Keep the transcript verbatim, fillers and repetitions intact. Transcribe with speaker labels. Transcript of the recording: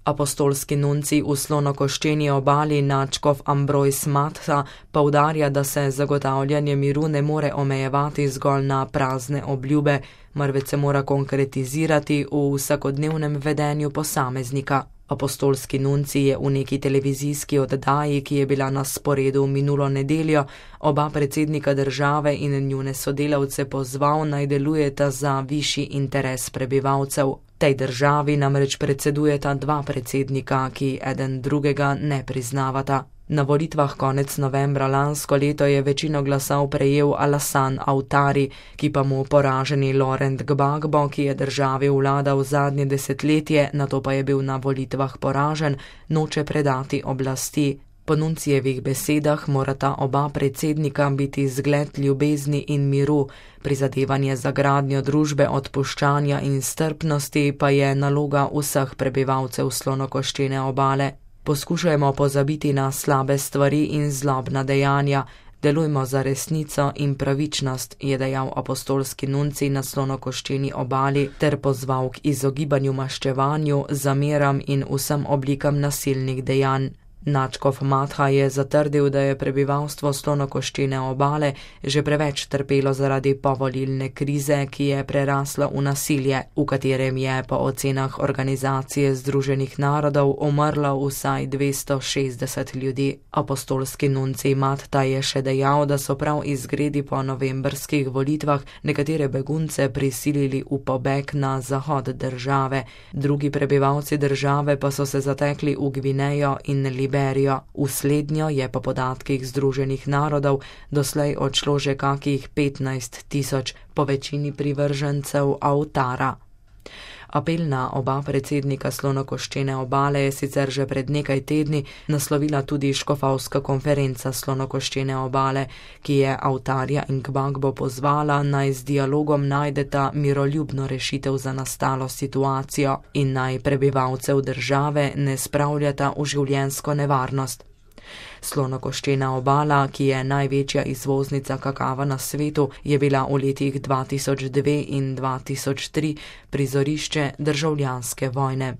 Speaker 1: Apostolski nuncij v Slonokoščeni obali nadškof Ambrojs Matha poudarja, da se zagotavljanje miru ne more omejevati zgolj na prazne obljube, marveč se mora konkretizirati v vsakodnevnem vedenju posameznika. Apostolski nuncij je v neki televizijski oddaji, ki je bila na sporedu minulo nedeljo, oba predsednika države in njune sodelavce pozval, naj delujeta za višji interes prebivalcev. Tej državi namreč predsedujeta dva predsednika, ki eden drugega ne priznavata. Na volitvah konec novembra lansko leto je večino glasov prejel Alassane Ouattara, ki pa mu poraženi Laurent Gbagbo, ki je državi vladal zadnje desetletje, nato pa je bil na volitvah poražen, noče predati oblasti. Po nuncijevih besedah morata oba predsednika biti zgled ljubezni in miru, prizadevanje za gradnjo družbe odpuščanja in strpnosti pa je naloga vseh prebivalcev Slonokoščene obale. Poskušajmo pozabiti na slabe stvari in zlobna dejanja, delujmo za resnico in pravičnost, je dejal apostolski nuncij na Slonokoščeni obali ter pozval k izogibanju maščevanju, zameram in vsem oblikam nasilnih dejanj. Nadškof Matha je zatrdil, da je prebivalstvo Slonokoščene obale že preveč trpelo zaradi povolilne krize, ki je prerasla v nasilje, v katerem je po ocenah Organizacije združenih narodov umrlo vsaj dvesto šestdeset ljudi. Apostolski nuncij Matha je še dejal, da so prav izgredi po novembrskih volitvah nekatere begunce prisilili v pobeg na zahod države, drugi prebivalci države pa so se zatekli v Gvinejo in Liberijo. V slednjo je po podatkih Združenih narodov doslej odšlo že kakih petnajst tisoč, po večini privržencev Ouattara. Apel na oba predsednika Slonokoščene obale je sicer že pred nekaj tedni naslovila tudi škofovska konferenca Slonokoščene obale, ki je Ouattarja in Gbagbo pozvala, naj z dialogom najdeta miroljubno rešitev za nastalo situacijo in naj prebivalcev države ne spravljata v življenjsko nevarnost. Slonokoščena obala, ki je največja izvoznica kakava na svetu, je bila v letih dva tisoč dve in dva tisoč tri prizorišče državljanske vojne.